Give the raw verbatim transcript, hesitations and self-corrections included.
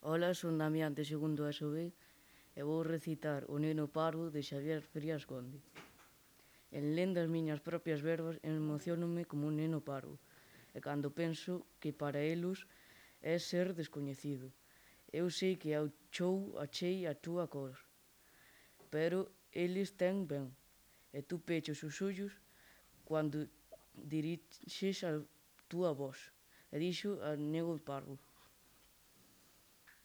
Ola, son Damián de segundo E S O B e vou recitar O neno parvo de Xavier Frías Conde. En lendo as miñas propias verbas emocionome como un neno parvo e cando penso que para elos é ser descoñecido. Eu sei que ao chou achei a túa cor, pero eles ten ben e tú pechas os ollos cando dirixes a túa voz. E dixo a Neno Parvo.